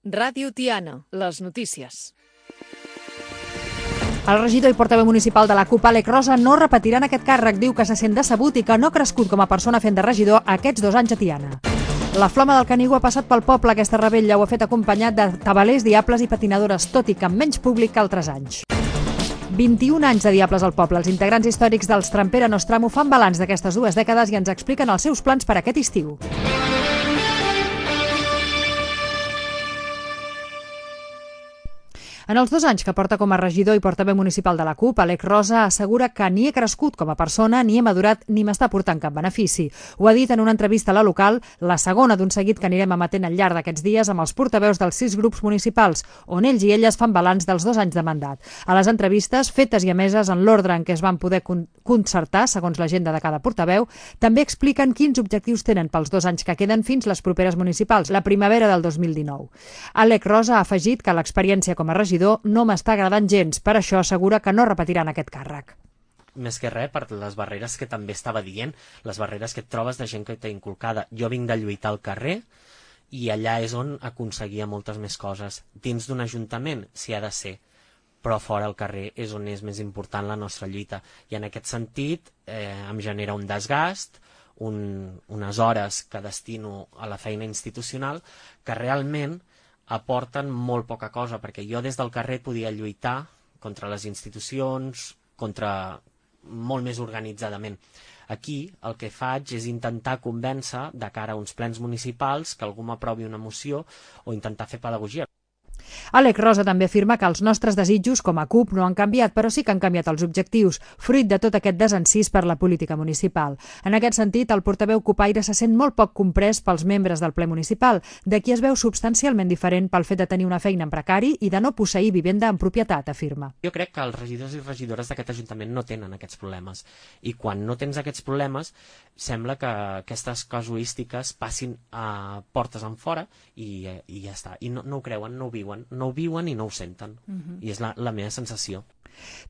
Ràdio Tiana, les notícies. El regidor i portaveu municipal de la CUP, Àlex Rosa, no repetirà en aquest càrrec. Diu que se sent decebut i que no ha crescut com a persona fent de regidor aquests 2 anys a Tiana. La flama del Canigó ha passat pel poble. Aquesta revetlla ho ha fet acompanyat de tabalers, diables i patinadores, tot i que amb menys públic que altres anys. 21 anys de diables al poble. Els integrants històrics dels Trampera Nostramo fan balanç d'aquestes 2 dècades i ens expliquen els seus plans per aquest estiu. En els 2 anys que porta com a regidor i portaveu municipal de la CUP, Àlex Rosa assegura que ni he crescut com a persona, ni he madurat, ni m'està portant cap benefici. Ho ha dit en una entrevista a La Local, la segona d'un seguit que anirem emetent al llarg d'aquests dies amb els portaveus dels 6 grups municipals, on ells i elles fan balanç dels 2 anys de mandat. A les entrevistes, fetes i emeses en l'ordre en què es van poder concertar, segons l'agenda de cada portaveu, també expliquen quins objectius tenen pels 2 anys que queden fins les properes municipals, la primavera del 2019. Àlex Rosa ha afegit que l'experiència com a regidor no m'està agradant gens, per això assegura que no repetiran aquest càrrec. Més que res per les barreres que també estava dient, les barreres que et trobes de gent que t'ha inculcada. Jo vinc de lluitar al carrer i allà és on aconseguia moltes més coses. Dins d'un ajuntament s'hi ha de ser, però fora al carrer és on és més important la nostra lluita. I en aquest sentit em genera un desgast, unes hores que destino a la feina institucional que realment aporten molt poca cosa, perquè jo des del carrer podia lluitar contra les institucions, molt més organitzadament. Aquí el que faig és intentar convèncer de cara a uns plens municipals que algú m'aprovi una moció o intentar fer pedagogia. Àlex Rosa també afirma que els nostres desitjos com a CUP no han canviat, però sí que han canviat els objectius, fruit de tot aquest desencís per la política municipal. En aquest sentit, el portaveu cupaire se sent molt poc comprès pels membres del ple municipal, de qui es veu substancialment diferent pel fet de tenir una feina en precari i de no posseir vivenda en propietat, afirma. Jo crec que els regidors i regidores d'aquest ajuntament no tenen aquests problemes, i quan no tens aquests problemes sembla que aquestes casuístiques passin a portes enfora i ja està, i no ho creuen, no ho viuen i no ho senten. I és la meva sensació.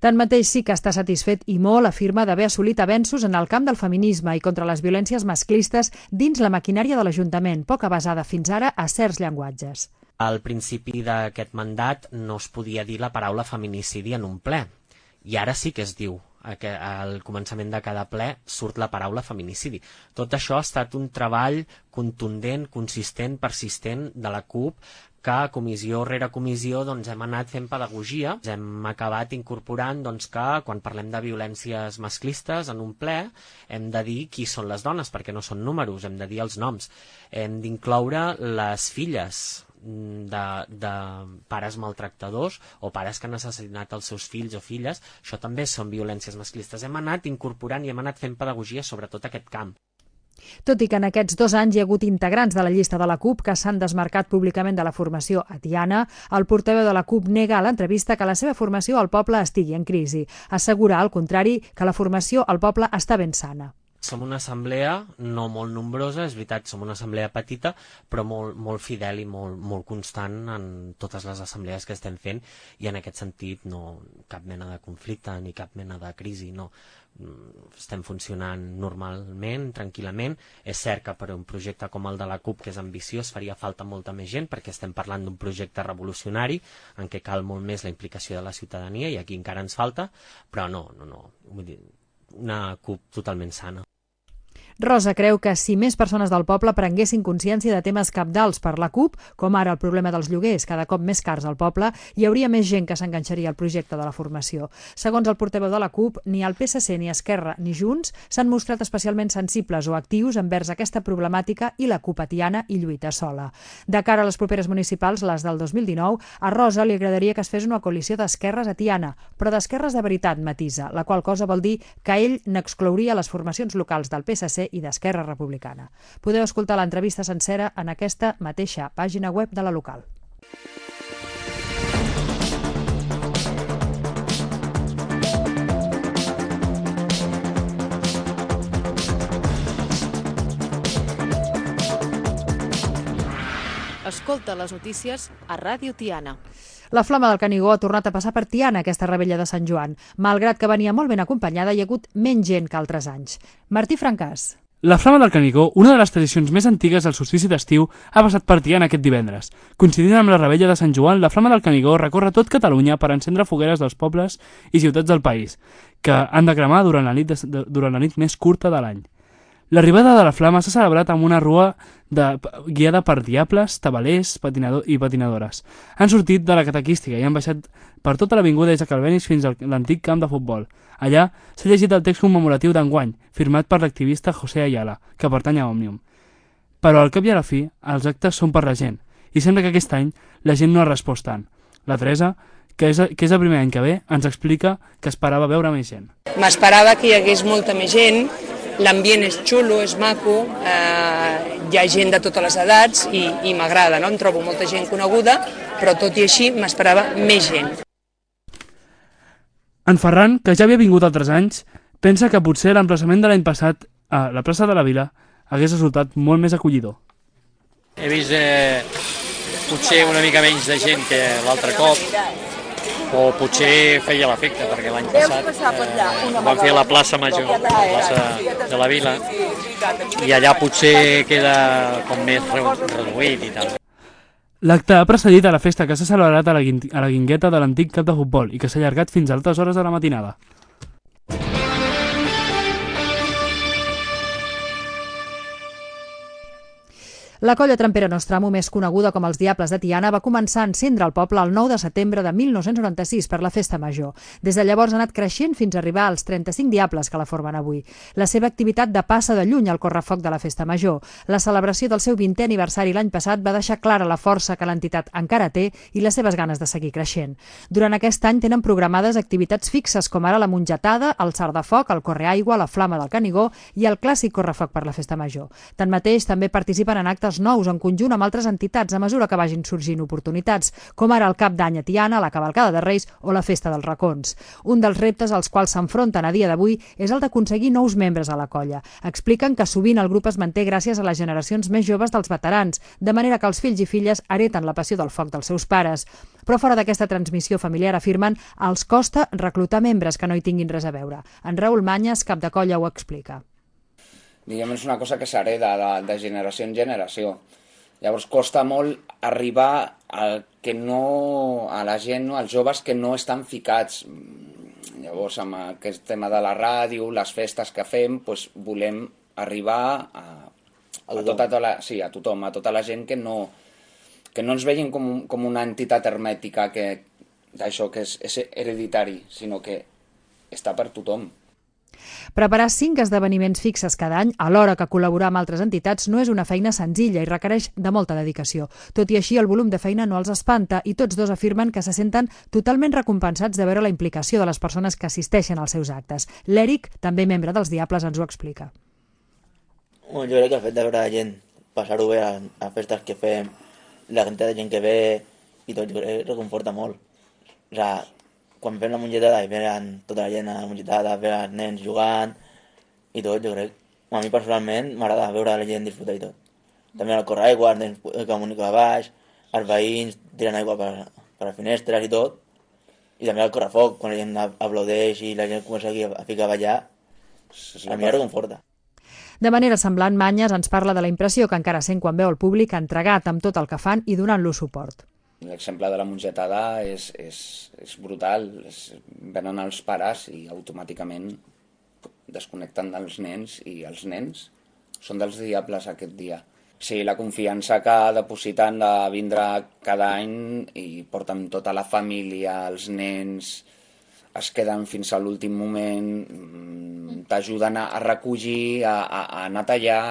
Tanmateix sí que està satisfet i molt, afirma, d'haver assolit avenços en el camp del feminisme i contra les violències masclistes dins la maquinària de l'Ajuntament, poc avasada fins ara a certs llenguatges. Al principi d'aquest mandat no es podia dir la paraula feminicidi en un ple, i ara sí que es diu. Al començament de cada ple surt la paraula feminicidi. Tot això ha estat un treball contundent, consistent, persistent de la CUP, que comissió rere comissió hem anat fent pedagogia. Hem acabat incorporant que quan parlem de violències masclistes en un ple hem de dir qui són les dones, perquè no són números, hem de dir els noms. Hem d'incloure les filles de pares maltractadors o pares que han assassinat els seus fills o filles. Això també són violències masclistes. Hem anat incorporant i hem anat fent pedagogia sobre tot aquest camp. Tot i que en aquests 2 anys hi ha hagut integrants de la llista de la CUP que s'han desmarcat públicament de la formació a Tiana, el portaveu de la CUP nega a l'entrevista que la seva formació al poble estigui en crisi. Assegura, al contrari, que la formació al poble està ben sana. Som una assemblea no molt nombrosa, és veritat, som una assemblea petita, però molt fidel i molt constant en totes les assemblees que estem fent, i en aquest sentit no cap mena de conflicte ni cap mena de crisi, no. Estem funcionant normalment, tranquil·lament. És cert que per un projecte com el de la CUP, que és ambiciós, faria falta molta més gent, perquè estem parlant d'un projecte revolucionari en què cal molt més la implicació de la ciutadania, i aquí encara ens falta, però no. Vull dir, una CUP totalment sana. Rosa creu que si més persones del poble prenguessin consciència de temes cabdals per la CUP, com ara el problema dels lloguers, cada cop més cars al poble, hi hauria més gent que s'enganxaria al projecte de la formació. Segons el portaveu de la CUP, ni el PSC, ni Esquerra, ni Junts s'han mostrat especialment sensibles o actius envers aquesta problemàtica, i la CUP a Tiana hi lluita sola. De cara a les properes municipals, les del 2019, a Rosa li agradaria que es fes una coalició d'esquerres a Tiana, però d'esquerres de veritat, matisa, la qual cosa vol dir que ell n'exclouria les formacions locals del PSC i d'Esquerra Republicana. Podeu escoltar l'entrevista sencera en aquesta mateixa pàgina web de La Local. Escolta les notícies a Ràdio Tiana. La flama del Canigó ha tornat a passar per Tiana aquesta revetlla de Sant Joan. Malgrat que venia molt ben acompanyada, hi ha hagut menys gent que altres anys. Martí Francàs. La Flama del Canigó, una de les tradicions més antigues del solstici d'estiu, ha passat per Tiana aquest divendres. Coincidint amb la Revetlla de Sant Joan, la Flama del Canigó recorre tot Catalunya per encendre fogueres dels pobles i ciutats del país, que han de cremar durant la nit més curta de l'any. L'arribada de la Flama s'ha celebrat amb una rua guiada per diables, tabalers i patinadores. Han sortit de la catequística i han baixat per tota l'avinguda des de Calvenis fins a l'antic camp de futbol. Allà s'ha llegit el text commemoratiu d'enguany, firmat per l'activista José Ayala, que pertany a Òmnium. Però al cap i a la fi, els actes són per la gent, i sembla que aquest any la gent no ha respost tant. La Teresa, que és el primer any que ve, ens explica que esperava veure més gent. M'esperava que hi hagués molta més gent, l'ambient és xulo, és maco, hi ha gent de totes les edats i m'agrada, no? Em trobo molta gent coneguda, però tot i així m'esperava més gent. En Ferran, que ja havia vingut altres anys, pensa que potser l'emplaçament de l'any passat a la plaça de la Vila hagués resultat molt més acollidor. He vist potser una mica menys de gent que l'altre cop, o potser feia l'efecte, perquè l'any passat vam fer a la plaça Major, la plaça de la Vila, i allà potser queda com més reduït i tal. L'acte ha precedit a la festa que s'ha celebrat a la guingueta de l'antic camp de futbol i que s'ha allargat fins a altes hores de la matinada. La colla trampera Nostramo, més coneguda com els Diables de Tiana, va començar a encendre el poble el 9 de setembre de 1996 per la Festa Major. Des de llavors ha anat creixent fins a arribar als 35 diables que la formen avui. La seva activitat depassa de lluny al correfoc de la Festa Major. La celebració del seu 20è aniversari l'any passat va deixar clara la força que l'entitat encara té i les seves ganes de seguir creixent. Durant aquest any tenen programades activitats fixes com ara la mongetada, el sard de foc, el correaigua, la flama del Canigó i el clàssic correfoc per la Festa Major. Tanmateix, també participen en actes nous en conjunt amb altres entitats a mesura que vagin sorgint oportunitats, com ara el Cap d'Any a Tiana, la Cavalcada de Reis o la Festa dels Racons. Un dels reptes als quals s'enfronten a dia d'avui és el d'aconseguir nous membres a la colla. Expliquen que sovint el grup es manté gràcies a les generacions més joves dels veterans, de manera que els fills i filles hereten la passió del foc dels seus pares. Però fora d'aquesta transmissió familiar, afirmen, els costa reclutar membres que no hi tinguin res a veure. En Raül Manyes, cap de colla, ho explica. Diguem, és una cosa que s'hereda de generació en generació. Llavors costa molt arribar a la gent, als joves que no estan ficats. Llavors, amb aquest tema de la ràdio, les festes que fem, doncs volem arribar a tothom, a tota la gent que no ens vegin com una entitat hermètica d'això que és hereditari, sinó que està per tothom. Preparar 5 esdeveniments fixes cada any, alhora que col·laborar amb altres entitats, no és una feina senzilla i requereix de molta dedicació. Tot i així, el volum de feina no els espanta i tots dos afirmen que se senten totalment recompensats de veure la implicació de les persones que assisteixen als seus actes. L'Eric, també membre dels Diables, ens ho explica. Jo crec que el fet de veure la gent passar-ho bé a festes que fem, la quantitat de gent que ve i tot, jo crec que reconforta molt. O sigui, quan fem la mongetada i venen tota la gent a la mongetada, veure els nens jugant i tot, jo crec. A mi personalment m'agrada veure la gent disfrutar i tot. També el correaigua, els nens que comuniquen a baix, els veïns tiren aigua per les finestres i tot. I també el correfoc, quan la gent aplaudeix i la gent comença a ficar a ballar, a mi reconforta. De manera semblant, Manyes ens parla de la impressió que encara sent quan veu el públic entregat amb tot el que fan i donant-lo suport. L'exemple de la mongetada és brutal. Venen els pares i automàticament desconnecten dels nens i els nens són dels Diables aquest dia. Sí, la confiança que depositen de vindre cada any i porten tota la família, els nens es queden fins a l'últim moment, t'ajuden a recollir, a anar a tallar.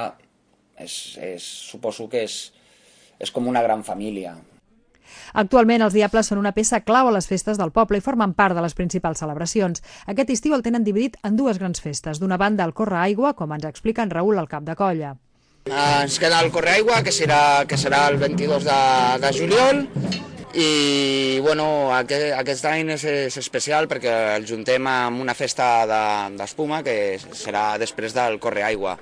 Suposo que és com una gran família. Actualment, els Diables són una peça clau a les festes del poble i formen part de les principals celebracions. Aquest estiu el tenen dividit en 2 grans festes. D'una banda, el correaigua, com ens explica en Raül, el cap de colla. Ens queda el correaigua, que serà el 22 de juliol, i bueno, aquest any és especial perquè el juntem amb una festa d'espuma que serà després del correaigua.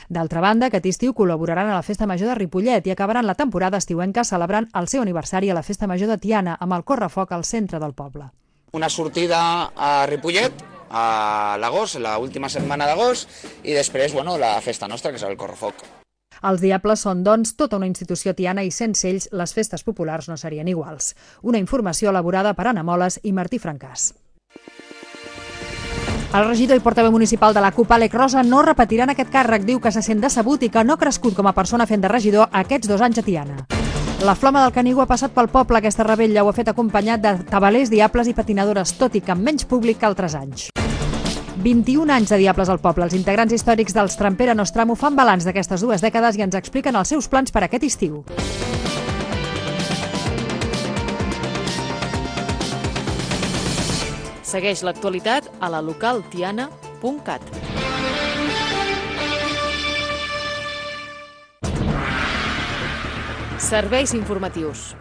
D'altra banda, aquest estiu col·laboraran a la Festa Major de Ripollet i acabaran la temporada estiuenca celebrant el seu aniversari a la Festa Major de Tiana amb el correfoc al centre del poble. Una sortida a Ripollet a l'agost, l'última setmana d'agost, i després, la festa nostra, que és el Correfoc. Els Diables són, doncs, tota una institució tiana i sense ells les festes populars no serien iguals. Una informació elaborada per Anna Moles i Martí Francàs. El regidor i portaveu municipal de la CUP, Àlex Rosa, no repetirà en aquest càrrec. Diu que se sent decebut i que no ha crescut com a persona fent de regidor aquests 2 anys a Tiana. La flama del Canigó ha passat pel poble. Aquesta revetlla ho ha fet acompanyat de tabalers, diables i patinadores, tot i que amb menys públic que altres anys. 21 anys de Diables al poble. Els integrants històrics dels Trampera Nostramo fan balanç d'aquestes 2 dècades i ens expliquen els seus plans per aquest estiu. Segueix l'actualitat a la localtiana.cat. Serveis informatius.